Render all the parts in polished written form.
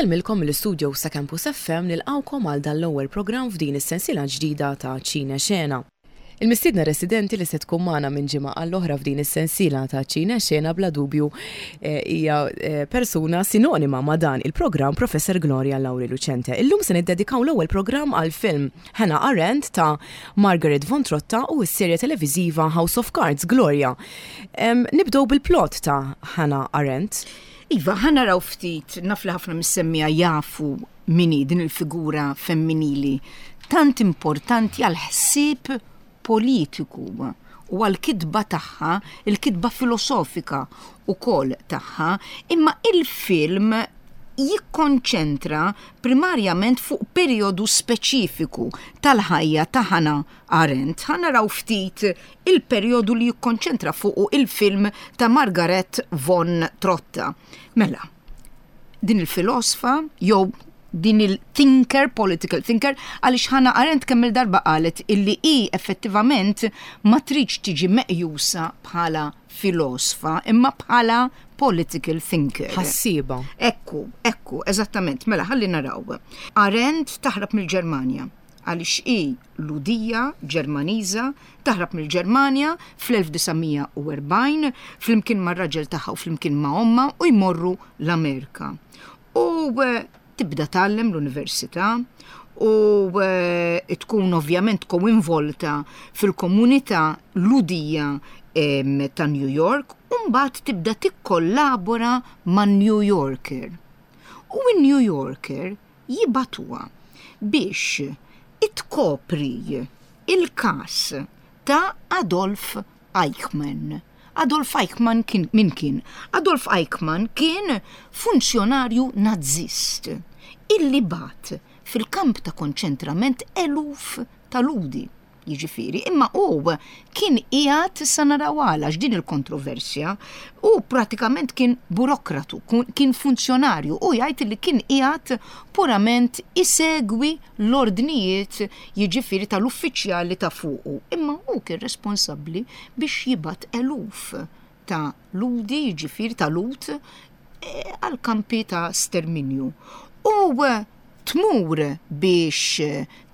Insellmilkom mill-istudios ta' Campus FM nilqgħukom għal dan l-ewwel programm f'din is-sensiela ġdida ta' Ċine Xena. Il-mistiedna residenti li se tkun magħna minn ġimgħa għall-oħra f'din is-sensiela ta' Ċine Xena bla dubju hija persuna sinonima ma' dan il-programm Professor Gloria Lauri Lucente. Illum se niddedikaw l-ewwel programm għall-film Hannah Arendt ta' Margaret von Trotta u s-serje televiżiva House of Cards. Gloria, nibdew bil-plot ta' Hannah Arendt. Iva, ħa naraw ftit, naf li ħafna mis-semmiegħa jafu min hi din il-figura femminili tant importanti għall-ħsieb politiku u għall-kitba tagħha, il-kitba filosofika wkoll tagħha, imma il-film jikkonċentra primarjament fuq perjodu speċifiku tal-ħajja ta' Hannah Arendt. Ħa naraw ftit il-perjodu li jikkonċentra fuqu il-film ta' Margaret von Trotta. Mela, din il-filosfa jew din il-thinker, political thinker, għaliex Hannah Arendt kemm il-darba qalet illi hi effettivament ma tridx tiġi meqjusa bħala filosfa imma bħala political thinker. Ħassieba. Ekku, ekku, eżattament, mela ħalli naraw. Arendt taħrab mill-Ġermanja għaliex hi Lhudija Ġermaniża taħrab mill-Ġermanja fl-1940 flimkien mar-raġel tagħha u flimkien ma' ommha u jmorru l-Amerika. U tibda tgħallem l-università u tkun ovvjament koinvolta fil-komunità Lhudija ta' New York u mbagħad tibda tikkollabora man-New Yorker. U n-New Yorker jibagħtuha biex tkopri l-każ ta' Adolf Eichmann. Adolf Eichmann kien min kien? Adolf Eichmann kien funzjonarju Nazzist illi bagħat fil-kamp ta' konċentrament eluf ta' Lhudi. Jiġifieri, imma hu kien qiegħed, issa naraw għala, x'din il-kontroversja, hu pratikament kien burokratu, kien funzjonarju, hu jgħid li kien qiegħed purament isegwi l-ordnijiet jiġifieri tal-uffiċjali ta' fuqu. Imma hu kien responsabbli biex jibgħat eluf ta' Lhudi, jiġifieri ta' Lhud, għall-kampi ta' sterminju. U tmur biex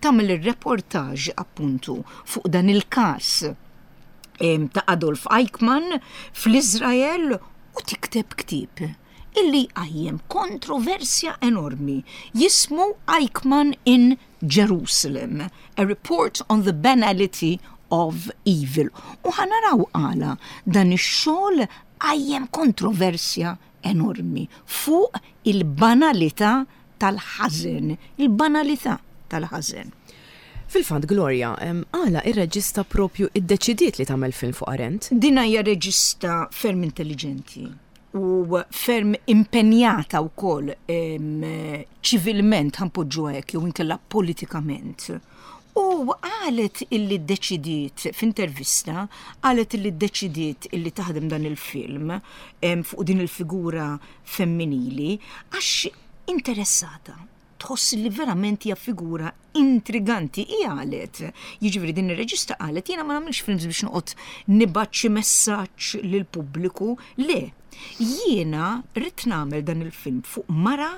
tagħmel ir-reportage appuntu fuq dan il-każ ta' Adolf Eichmann fl-Iżrael u tikteb ktieb illi jqajjem kontroversja enormi jismu Eichmann in Jerusalem, A Report on the Banality of Evil. U ħa naraw għala dan ix-xogħol qajjem kontroversja enormi fuq il-banalità tal-ħażen, il-banalità tal-ħażen. Fil-fatt, Gloria, għala ir-reġista propju iddeċidiet li tagħmel film fuq Arendt? Din hija reġista ferm intelliġenti u ferm impenjata wkoll ċivilment ħa npoġġuha hekk jew inkella politikament. U qalet illi ddeċidiet f'intervista, qalet illi ddeċidiet illi taħdem dan il-film fuq din il-figura femminili għax interessata tħoss li verament hija figura intriganti. Hi qalet, jiġifieri din ir-reġista qalet jiena ma nagħmilx films biex noqgħod nibgħat xi messaġġ lill-pubbliku, le. Jiena rrid nagħmel dan il-film fuq mara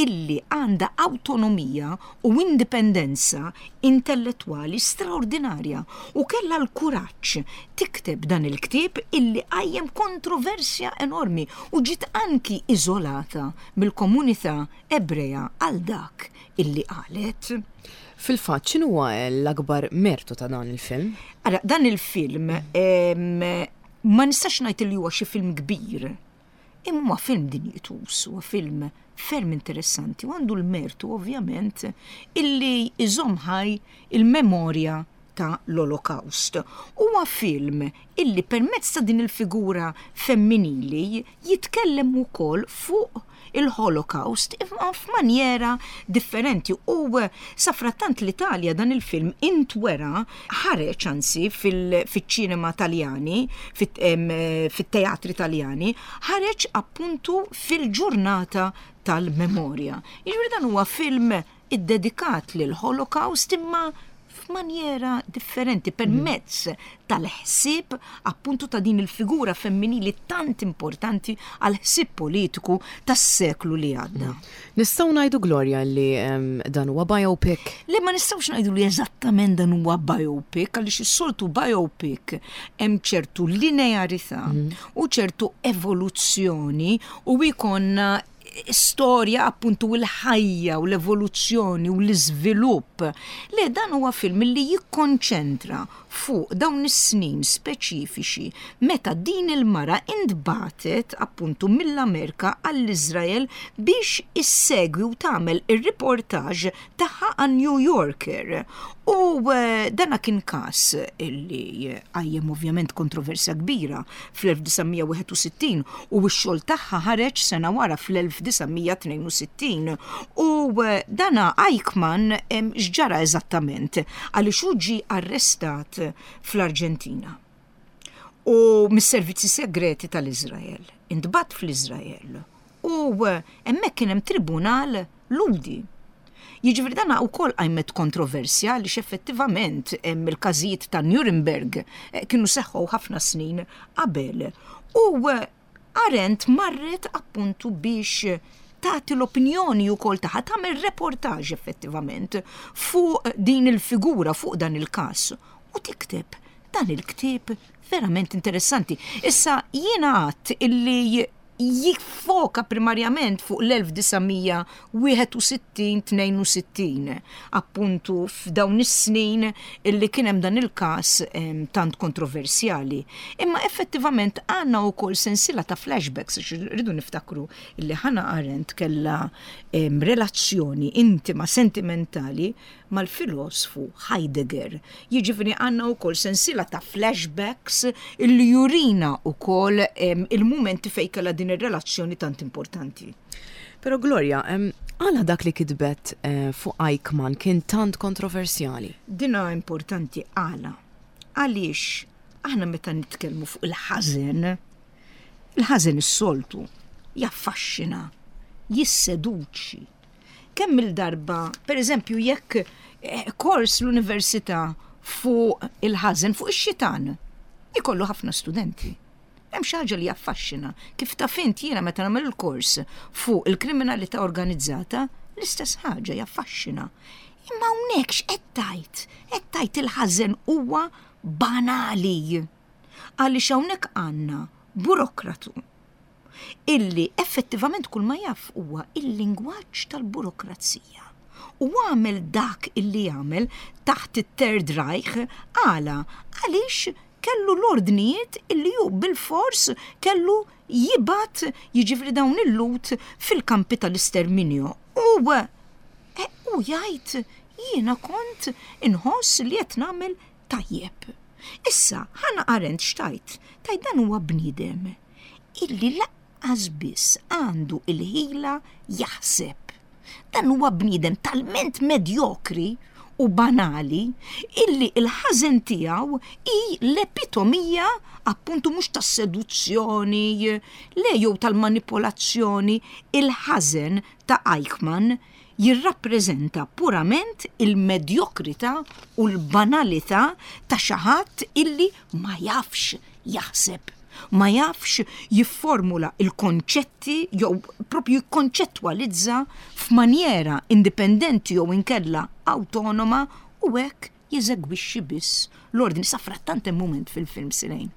illi għandha awtonomija u indipendenza intellettwali straordinarja u kellha l-kuraġġ tikteb dan il-ktieb illi qajjem kontroversja enormi u ġiet anki iżolata mill-komunità Ebrea għal dak illi qalet. Fil-fatt, x'inhuwa l-akbar mertu ta' dan il-film? Ara, dan il-film ma nistax ngħid li huwa xi film kbir, imma huwa film dinjituż, huwa film ferm interessanti u għandu l-mertu ovvjament illi jżomm ħaj il-memorja ta' l-Olokawst. Huwa film illi permezz ta' din il-figura femminili jitkellem ukoll fuq il-Holocaust imma f'manjera differenti u safrattant l-Italja dan il-film intwera ħareġ anzi fiċ-ċinema Taljani, fit-teatri Taljani, ħareġ appuntu fil-ġurnata tal-memorja. Jiġifieri dan huwa film iddedikat lill-Holocaust imma. f'manjera differenti permezz tal-ħsieb appuntu ta' din il-figura femminili tant importanti għal ħsieb politiku tas-seklu li għadda. Nistgħu ngħidu Gloria li dan huwa biopic? Le ma nistgħux ngħidu li eżattament dan huwa biopic għaliex is-soltu biopic hemm ċertu linearità mhm. u ċertu evoluzzjoni u jkollna storja appuntu l-ħajja u l-evoluzzjoni u l-iżvilupp. Le dan huwa film li jikkonċentra fuq dawn is-snin speċifiċi meta din il-mara intbagħtet appuntu mill-Amerika għall-Iżrael biex issegwi u tagħmel ir-riportaġġ tagħha għan-New Yorker. U eh, dana kien każ illi qajjem ovvjament kontroversja kbira fl-1961 u x-xogħol tagħha ħareġ sena wara fl-1962. U eh, dana Eichmann x'ġara eżattament għaliex hu ġie arrestat fl-Arġentina u mis-servizzi segreti tal-Iżrael. Intbagħat fl-Iżrael u eh, hemmhekk kien hemm tribunal Lhudi. Jiġifieri dan wkoll qajmet kontroversja għaliex effettivament il-każijiet ta' Nuremberg eh, kienu seħħu ħafna snin qabel. U eh, Arendt marret appuntu biex tagħti l-opinjoni wkoll tagħha tagħmel reportaġ effettivament fuq din il-figura, fuq dan il-każ u tikteb dan il-ktieb verament interessanti. Issa jiena għadt illi jiffoka primarjament fuq l-1961-62, appuntu f'dawn is-snin illi kien hemm dan il-każ tant kontroversjali. Imma effettivament għandna wkoll sensiela ta' flashbacks, għax rridu niftakru illi Hannah Arendt kellha relazzjoni intima, sentimentali mal-filosfu Heidegger. Jiġifieri għandna wkoll sensiela ta' flashbacks illi jurina wkoll il-mumenti fejn kellha din ir-relazzjoni tant importanti. Però Gloria, għala dak li kitbet eh, fuq Eichmann kien tant kontroversjali? Dina importanti għala. Għaliex aħna meta nitkellmu fuq il-ħażen, il-ħażen is-soltu jaffaxxina, jisseduċi, Kemm-il darba, per eżempju, jekk eh, kors l-università fuq il-ħażen, fuq ix-xitan, ikollu ħafna studenti. Hemm xi ħaġa li jaffaxxina. Kif taf int jiena meta nagħmel il-kors fuq il-kriminalità organizzata, l-istess ħaġa jaffaxxina. Imma hawnhekk x'qed tgħid? Qed tgħid il-ħażen huwa banali. Għaliex hawnhekk għandna burokratu illi effettivament kull ma jaf huwa il-lingwaġġ tal-burokrazija. U għamel dak illi għamel taħt it-Third Reich għala għaliex kellu l-ordnijiet illi hu bilfors kellu jibgħat jiġifieri dawn il-Lhud fil-kampi tal-isterminju. U eh, u jgħid jiena kont inħoss li qed nagħmel tajjeb. Issa, Hannah Arendt x'tgħid? Tgħid dan huwa bniedem illi laqqas biss għandu il-ħila jaħseb. Dan huwa bniedem talment medjokri u banali illi il-ħażen tiegħu hi l-epitomija appuntu mhux tas-seduzzjoni, le jew tal-manipolazzjoni, il-ħażen ta' Eichmann jirrappreżenta purament il-medjokrità u l-banalità ta' xi ħadd illi ma jafx jaħseb, ma jafx jifformula l-konċetti jew propju jikkonċettwalizza f'manjera indipendenti jew inkella awtonoma u hekk jeżegwixxi biss l-ordni. Safrattant hemm mument fil-film Sirejn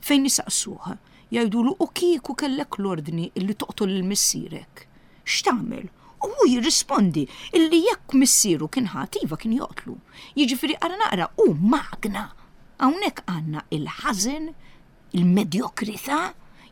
fejn isaqsuh jgħidulu u kieku kellek l-ordni illi toqtol lil missierek, x'tagħmel? U hu jirrispondi illi jekk missieru kien ħati iva kien joqtlu. Jiġifieri ara naqra hu magna. Hawnhekk għandna il-ħażen, il-medjokrità,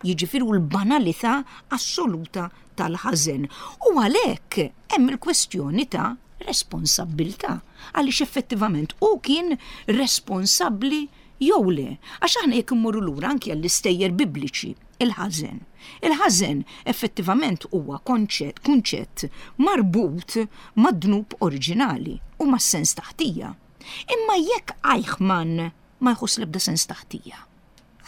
jiġifieri u l-banalità assoluta tal-ħażen. U għalhekk hemm il-kwestjoni ta' responsabbiltà għaliex effettivament hu kien responsabbli jew le. Għax aħna jekk immorru lura anki għall-istejjer bibliċi, il-ħażen. Il-ħażen effettivament huwa konċett, kunċett marbut mad-dnub oriġinali u mas-sens ta' ħtija. Imma jekk Eichmann ma jħoss l-ebda sens ta' ħtija.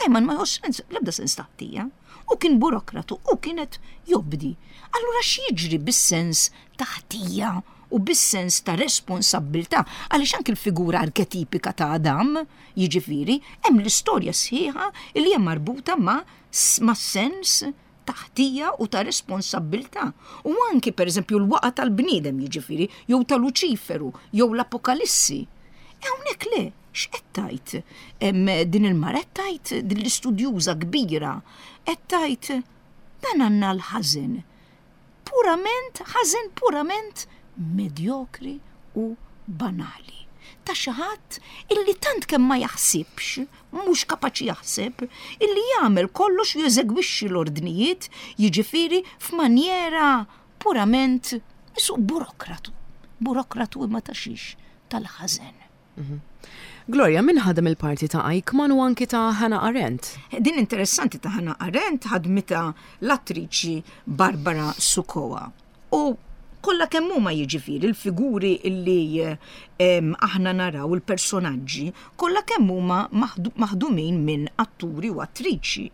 Eichmann ma jħoss l-ebda sens ta' ħtija. U kien burokratu u kienet jobdi. Allura x'jiġri bis-sens ta' ħtija? u bis-sens ta' responsabbiltà għaliex anki l-figura arketipika ta' Adam, jiġifieri, hemm l-istorja sħiħa li hija marbuta ma' mas-sens ta' ħtija u ta' responsabbiltà. U anki pereżempju l-waqa' tal-bniedem jiġifieri, jew ta' Luċiferu, jew l-Apokalissi. E hawnhekk le, x'qed tgħid din il-mara qed tgħid din l-istudjuża kbira qed tgħid dan għandna l-ħażen purament ħażen purament medjokri u banali. Ta' xi ħadd illi tant kemm ma jaħsibx, mhux kapaċi jaħseb, illi jagħmel kollox u jeżegwixxi l-ordnijiet, jiġifieri f'manjera purament isuq burokratu. Burokratu imma ta' xiex? Tal-ħażen. Mhm. Gloria, min ħadem il-parti ta' Eichmann u anki ta' Hannah Arendt? Din interessanti ta' Hannah Arendt ħadmita l-attriċi Barbara Sukowa. U kollha kemm huma jiġifieri l-figuri li aħna naraw il-personaġġi kollha kemm huma maħdumin minn atturi u attriċi.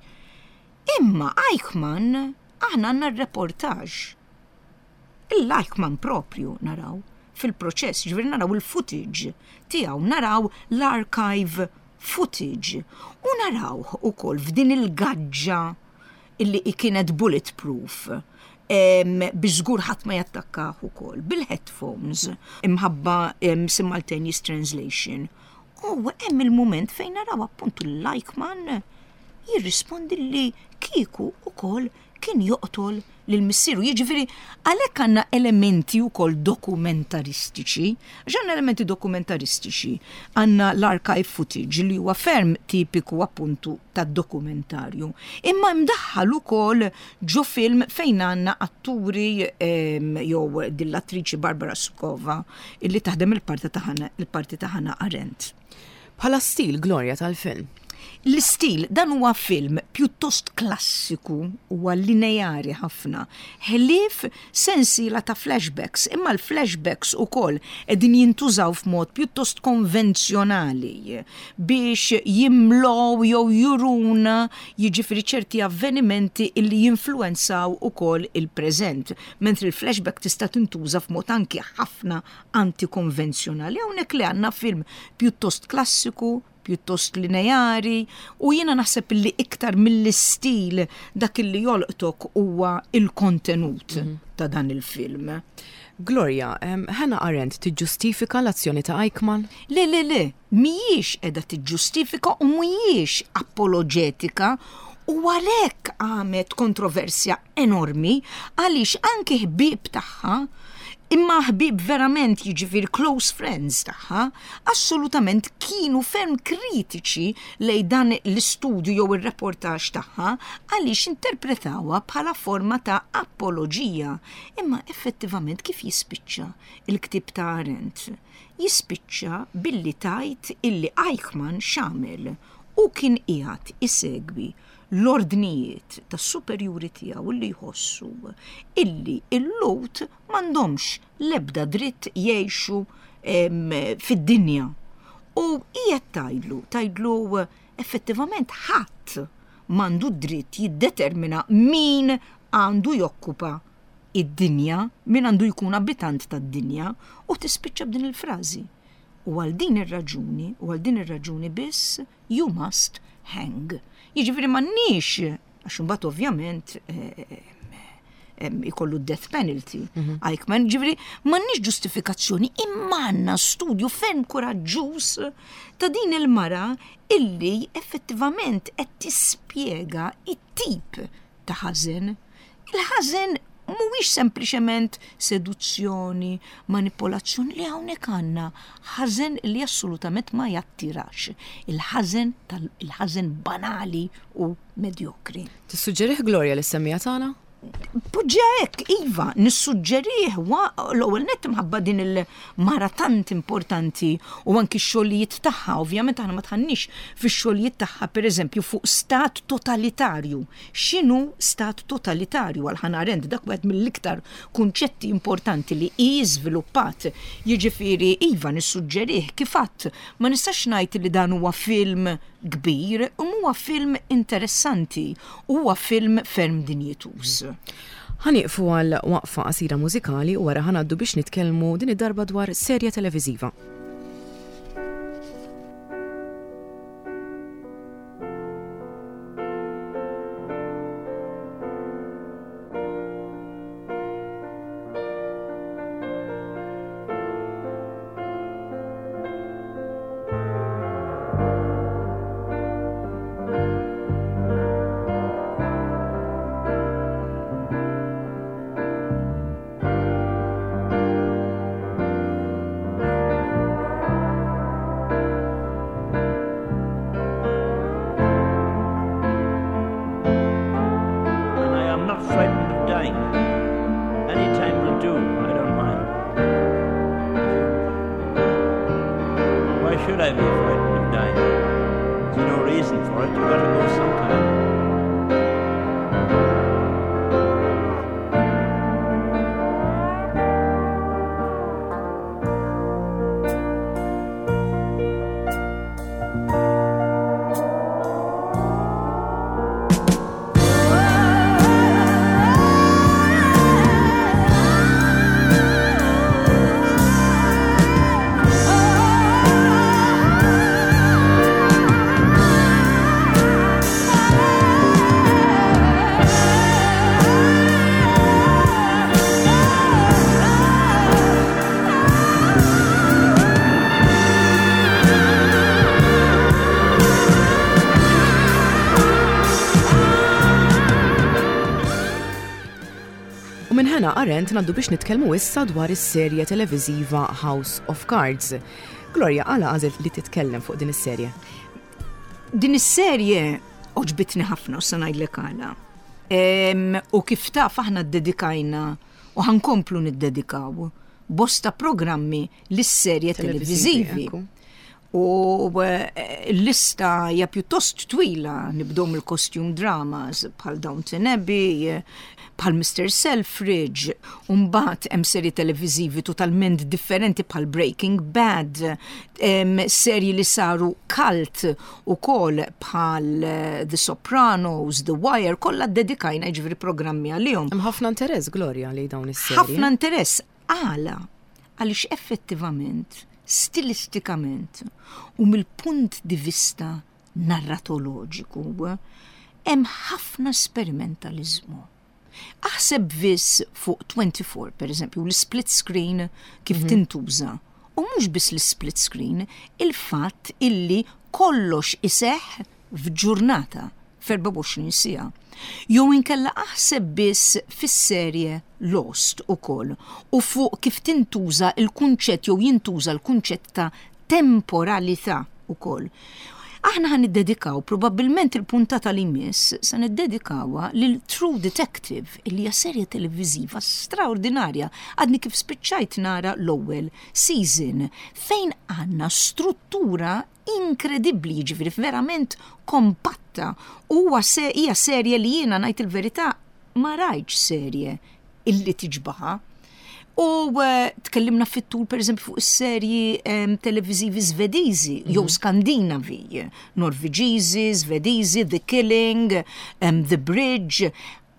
Imma Eichmann aħna għandna r-reportaġġ Il-Eichmann proprju naraw fil-proċess, ġifieri naraw il-footage tiegħu, naraw l-archive footage u narawh ukoll f'din il-gaġġa illi kienet bulletproof biex żgur ħadd ma jattakkah ukoll bil-headphones imħabba simultaneous translation. U hemm il-mument fejn naraw appuntu l-Eichmann jirrispondi li kieku ukoll kien joqtol lil missieru. Jiġifieri għalhekk għandna elementi wkoll dokumentaristiċi, għax għandna elementi dokumentaristiċi, għandna l-archive footage li huwa ferm tipiku appuntu tad-dokumentarju. Imma mdaħħal ukoll ġo film fejn għandna atturi ehm, jew din l-attriċi Barbara Sukova illi taħdem il-parti ta' il-parti ta' Hannah Arendt. Bħala stil Gloria tal-film. L-istil, dan huwa film pjuttost klassiku, huwa lineari ħafna, ħlief sensiela ta' flashbacks, imma l-flashbacks ukoll qegħdin jintużaw f'mod pjuttost konvenzjonali biex jimlow jew juruna jiġifieri ċerti avvenimenti illi jinfluwenzaw ukoll il-preżent, mentri l-flashback tista' tintuża f'mod anki ħafna antikonvenzjonali. Hawnhekk li għandna film pjuttost klassiku, pjuttost lineari u jiena naħseb li iktar mill-istil dak li jolqtok huwa il-kontenut mhm. ta' dan il-film. Gloria, Hannah Arendt tiġġustifika l-azzjoni ta' Eichmann? Le, le, le, mhijiex qiegħda tiġġustifika u mhijiex apoloġetika u għalhekk għamet kontroversja enormi għaliex anki ħbieb tagħha imma ħbieb verament jiġifieri close friends tagħha, assolutament kienu ferm kritiċi lejn dan l-istudju jew ir-reportaġġ tagħha għaliex interpretawha bħala forma ta' apoloġija. Imma effettivament kif jispiċċa il-ktieb ta' Arendt? Jispiċċa billi tgħid illi Eichmann x'għamel? Hu kien qiegħed isegwi l-ordnijiet tas-superjuri tiegħu li jħossu illi l-Lhud m'għandhomx l-ebda dritt jgħixu fid-dinja. U qiegħed tgħidlu, tgħidlu effettivament ħadd m'għandu d-dritt jiddetermina min għandu jokkupa id-dinja, min għandu jkun abitant tad-dinja, u tispiċċa b'din il-frażi. U għal din ir-raġuni, u għal din ir-raġuni biss, you must hang. Jiġifieri m'għandniex, għax imbagħad ovvjament eh, eh, ikollu death penalty. Mhm. Eichmann, ġifieri m'għandniex ġustifikazzjoni imma għandna studju ferm kuraġġuż ta' din il-mara illi effettivament qed tispjega it-tip ta' ħażen. Il-ħażen mhuwiex sempliċement seduzzjoni, manipolazzjoni li hawnhekk għandna ħażen li assolutament ma jattirax. Il-ħażen tal-ħażen banali u medjokri. Tissuġġerih Gloria lis-semmiegħa tagħna? Poġġiha hekk, iva, nissuġġerih l-ewwel nett imħabba din il-mara tant importanti u anki x-xogħlijiet tagħha, ovvjament aħna ma tħannix fix-xogħlijiet tagħha pereżempju fuq stat totalitarju. X'inhu stat totalitarju għal Hannah Arendt dak wieħed mill-iktar kunċetti importanti li hi żviluppat. Jiġifieri iva nissuġġerih kif għadt ma nistax ngħid li dan huwa film kbir, imma huwa film interessanti u huwa film ferm dinjituż. Ħa nieqfu għal waqfa qasira mużikali u wara ħa ngħaddu biex nitkellmu din id-darba dwar serje televiżiva. And I am not frightened of dying. Any time will do, I don't mind. Why should I be frightened of dying? There's no reason for it. You've got to go sometime. U minn Hannah Arendt ngħaddu biex nitkellmu issa dwar is-serje televiżiva House of Cards. Gloria, għala għażilt li titkellem fuq din is-serje? Din is-serje għoġbitni ħafna u se ngħidlek għala. U kif taf aħna ddedikajna u ħa nkomplu niddedikaw bosta programmi lis-serje televiżivi. U eh, l-lista hija pjuttost twila, nibdew mill-costume dramas bħal Downton Abbey, bħal Mr. Selfridge, u mbagħad hemm serji televiżivi totalment differenti bħal Breaking Bad, serji li saru cult ukoll bħal eh, The Sopranos, The Wire, kollha ddedikajna jiġifieri programmi għalihom. Hemm ħafna interess, Gloria, li dawn is-serji. Ħafna interess. Għala? Għaliex effettivament, stilistikament u mill-punt di vista narratoloġiku, hemm ħafna sperimentaliżmu. Aħseb biss fuq 24, per eżempju, l-split screen kif mhm. tintuża. U mhux biss l-split screen, il-fatt illi kollox iseħħ f'ġurnata, f'24 siegħa. Jew inkella aħseb biss fis-serje Lost ukoll u fuq kif tintuża l-kunċett jew jintuża l-kunċett ta' temporalità ukoll. Aħna ħa niddedikaw probabbilment il-puntata li jmiss se niddedikawha lil True Detective illi hija serje televiżiva straordinarja. Għadni kif spiċċajt nara l-ewwel season fejn għandna struttura inkredibbli, jiġifieri verament kompatta. Huwa se hija serje li jiena ngħid il-verità ma rajtx serje illi tiġbaha. U eh, tkellimna fit-tul pereżempju fuq is-serji televiżivi Svediżi jew mhm. Skandinavi, Norveġiżi, Svediżi, The Killing, The Bridge.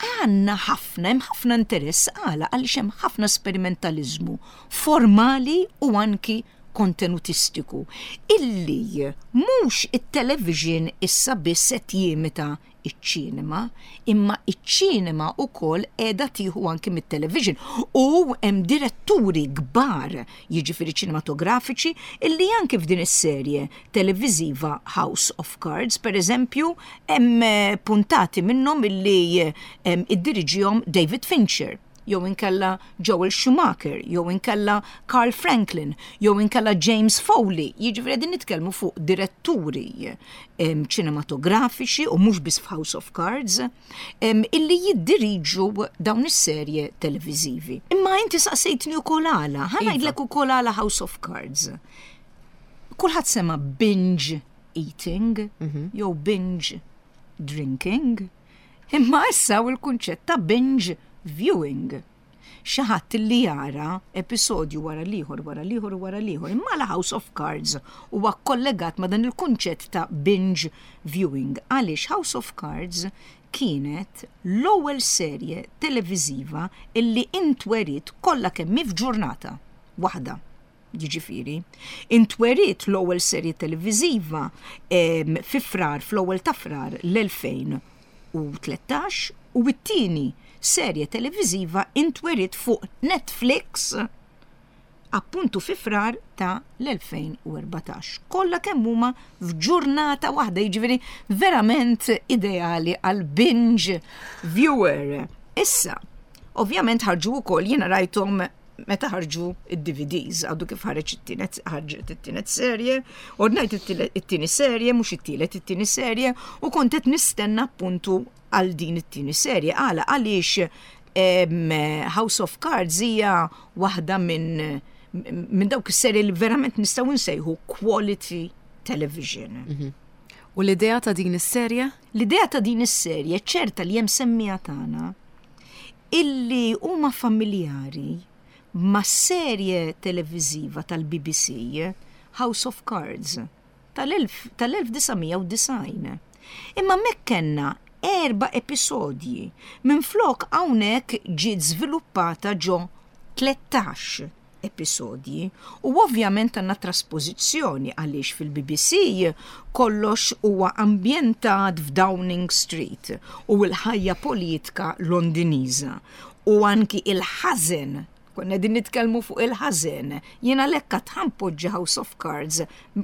Għandna ħafna, hemm ħafna interess għala għaliex hemm ħafna sperimentaliżmu formali u anki kontenutistiku illi mhux it-television issa biss qed jimita ċ-ċinema, imma ċ-ċinema wkoll qiegħda tieħu anki mit-television u hemm diretturi kbar, jiġifieri ċinematografiċi, illi anki f'din is-serje televiżiva House of Cards, pereżempju, hemm puntati minnhom illi iddiriġihom David Fincher. jew inkella Joel Schumacher, jew inkella Carl Franklin, jew inkella James Foley, jiġifieri qegħdin nitkellmu fuq diretturi ċinematografiċi u mhux biss f'House of Cards, illi jiddiriġu dawn is-serje televiżivi. Imma inti saqsejtni wkoll għala, ħa iva. ngħidlek ukoll għala House of Cards. Kulħadd sema' binge eating mhm. jew binge drinking. Imma issa hawn il-kunċett ta' binge viewing. Xi ħadd li jara episodju wara l-ieħor wara l-ieħor wara l-ieħor. Imma la House of Cards huwa kollegat ma' dan il-kunċett ta' binge viewing. Għaliex House of Cards kienet l-ewwel serje televiżiva illi intweriet kollha kemm hi f'ġurnata waħda. Jiġifieri, intweriet l-ewwel serje televiżiva fi Frar, fl-ewwel ta' Frar l-2013 u t-tieni serje televiżiva intweriet fuq Netflix appuntu fi Frar ta' l-2014. Kollha kemm huma f'ġurnata waħda, jiġifieri verament ideali għal binge viewer. Issa, ovvjament ħarġu wkoll jiena rajthom meta ħarġu id-DVDs, għadu kif ħareġ it-tienet ħarġet it-tienet serje, ordnajt it-tieni serje, mhux it-tielet it-tieni serje, u kont qed nistenna appuntu għal din it-tieni serje. Għala għaliex House of Cards hija waħda minn min dawk is-serje li verament nistgħu nsejħu quality television. U l-idea ta' din is-serje? L-idea ta' din is-serje ċerta li hemm semmija tagħna illi huma familjari ma' serje televiżiva tal-BBC House of Cards tal-1990. Imma hemmhekk kellna erba' episodji, minflok hawnhekk ġiet żviluppata ġo 13 episodji u ovvjament għandna traspożizzjoni għaliex fil-BBC kollox huwa ambjentat f'Downing Street u l-ħajja politika Londiniża u anki il-ħażen. Konna qegħdin nitkellmu fuq il-ħażen. Jien għalhekk għad ħanpoġġi House of Cards,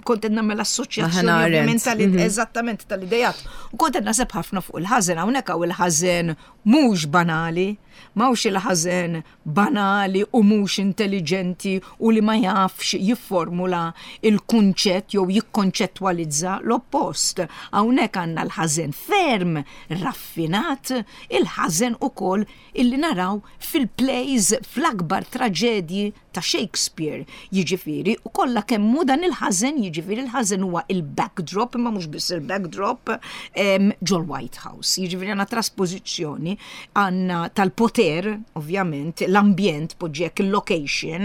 kont qed nagħmel assoċjazzjoni ovvjament tal eżattament tal-idejat. U kont qed naħseb ħafna fuq il-ħażen, hawnhekk hawn il-ħażen mhux banali, m'hawnx il-ħażen banali u mhux intelliġenti u li ma jafx jifformula il-kunċett jew jikkonċettwalizza l-oppost. Hawnhekk għandna l-ħażen ferm raffinat, il-ħażen ukoll illi naraw fil-plays fl-akbar traġedji ta' Shakespeare, jiġifieri, u kollha kemm hu dan il-ħażen, jiġifieri l-ħażen huwa il-backdrop, imma mhux biss il-backdrop, ġol-White House. Jiġifieri għandna traspożizzjoni għandna tal-poter, ovvjament, l-ambjent, poġġi hekk il-location,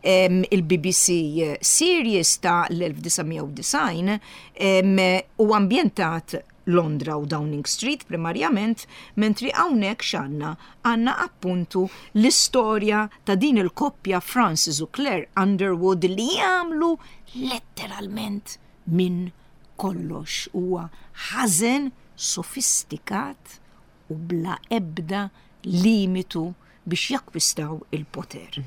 il-BBC series ta' l-1990 u ambjentat Londra u Downing Street primarjament, mentri hawnhekk x'għandna? Għandna appuntu l-istorja ta' din il-koppja Francis u Claire Underwood li jagħmlu letteralment minn kollox. Huwa ħażen sofistikat u bla ebda limitu biex jakkwistaw il-poter.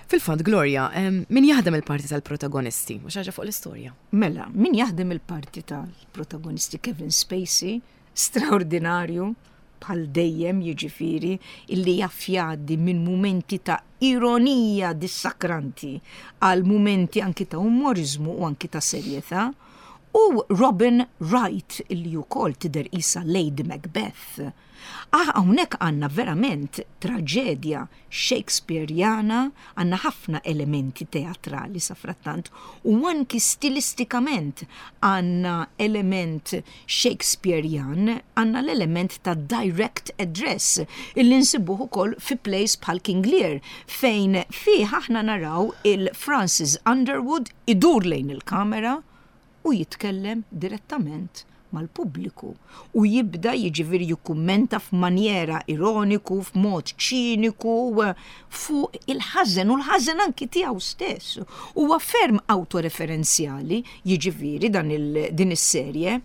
Fil-fatt, Gloria, min jaħdem il-parti tal-protagonisti? U xi ħaġa fuq l-istorja? Mela, min jaħdem il-parti tal-protagonisti Kevin Spacey, straordinarju, bħal dejjem jiġifieri illi jaf jgħaddi minn mumenti ta' ironija dissakranti għal mumenti anki ta' umoriżmu u anki ta' serjetà, u Robin Wright illi wkoll tidher qisha Lady Macbeth. Ah, hawnhekk għandna verament traġedja Shakespearjana, għandna ħafna elementi teatrali safrattant u anki stilistikament għandna element Shakespearjan, għandna l-element ta' direct address illi nsibuh ukoll fi plays bħal King Lear fejn fih aħna naraw il-Francis Underwood idur lejn il-kamera u jitkellem direttament mal-pubbliku u jibda jiġifieri jikkummenta f'manjera ironiku, f'mod ċiniku fuq il-ħażen u l-ħażen anki tiegħu stess. Huwa ferm awtoreferenzjali jiġifieri dan din is-serje.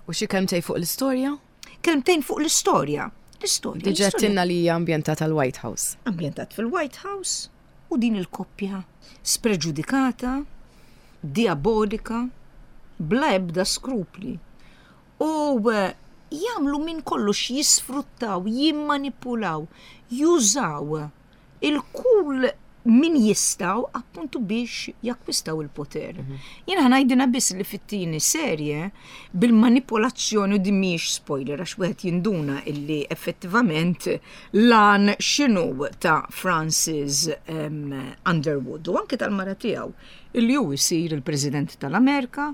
U xi kelmtejn fuq l-istorja? Kelmtejn fuq l-istorja. L-istorja. Diġà għedtilna li hija ambjentata l-White House. Ambjentat fil-White House u din il-koppja spreġudikata, diabolika, bla ebda skrupli. U jagħmlu minn kollox jisfruttaw, jimmanipulaw, jużaw il-kull min jistgħu appuntu biex jakkwistaw il-poter. Jien ħa ngħidilna biss li fit-tieni serje bil-manipolazzjoni u din mhijiex spoiler għax wieħed jinduna illi effettivament lan x'inhu ta' Francis Underwood u anke tal-mara tiegħu illi hu jsir il-President tal-Amerika.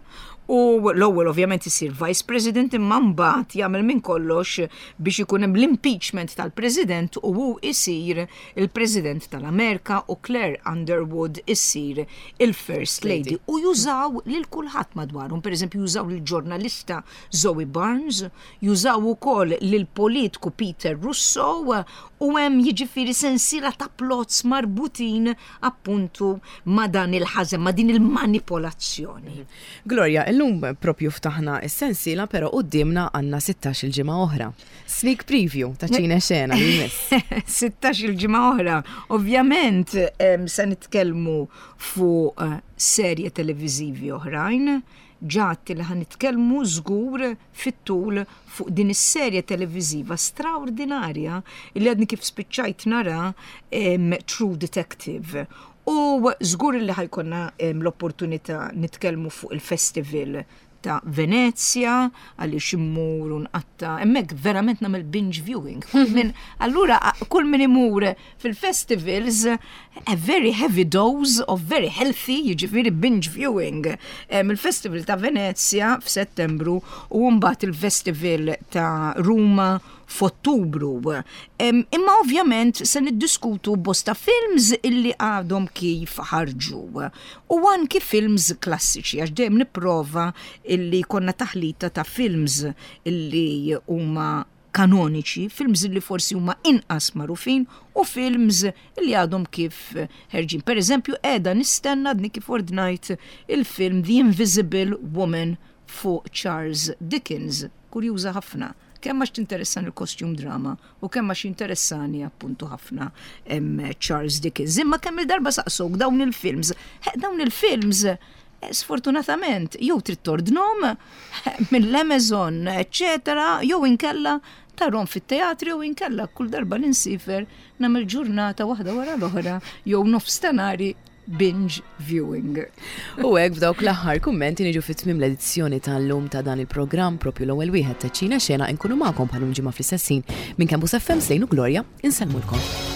U l-ewwel ovvjament isir Vice President imma mbagħad jagħmel minn kollox biex ikun hemm l-impeachment tal-President u hu isir il-President tal-Amerika u Claire Underwood issir il-First Lady. U jużaw lil kulħadd madwarhom, pereżempju jużaw lill-ġurnalista Zoe Barnes, jużaw ukoll lill-politku Peter Russo u hemm jiġifieri sensiela ta' plots marbutin appuntu ma' dan il-ħażen, ma' din il-manipolazzjoni. Gloria, illum propju ftaħna s-sensiela però quddiemna għandna 16-il ġimgħa oħra. Sneak preview ta' ċine xena li jmiss. 16-il ġimgħa oħra. Ovvjament se nitkellmu fuq eh, serje televiżivi oħrajn, ġat li ħan nitkellmu żgur fit-tul fuq din is-serje televiżiva straordinarja li għadni kif spiċċajt nara True Detective. U żgur li ħa jkollna l-opportunità nitkellmu fuq il-festival ta' Venezja għaliex immur u nqatta' hemmhekk verament nagħmel binge viewing. Min, allura kull min imur fil-festivals a very heavy dose of very healthy, jiġifieri binge viewing. Il-festival ta' Venezja f'Settembru u mbagħad il-festival ta' Ruma f'Ottubru. Imma ovvjament se niddiskutu bosta films illi għadhom kif ħarġu. U anki films klassiċi, għax dejjem nipprova illi konna taħlita ta' films illi huma kanoniċi, films li forsi huma inqas magħrufin u films li għadhom kif ħerġin. Per eżempju, qiegħda nistenna għadni kif ordnajt il-film The Invisible Woman fuq Charles Dickens. Kurjuża ħafna. Kemm għax tinteressani il-costume drama u kemm għax jinteressani appuntu ħafna Charles Dickens. Imma kemm il-darba saqsuk dawn il-films. Dawn il-films eh, sfortunatament jew trid tordnhom mill-Amazon, eċċetera, jew inkella tarhom fit-teatri jew inkella kull darba li nsifer nagħmel ġurnata waħda wara l-oħra jew nofs ta' nhari binge viewing. U hekk b'dawk l-aħħar kummenti niġu fi tmiem l-edizzjoni tal-lum ta' dan il-programm propju l-ewwel wieħed ta' Ċina Xena inkunu magħkom bħalum ġimgħa fl-istess ħin minn Campus FM Slejn u Gloria insellmulkom.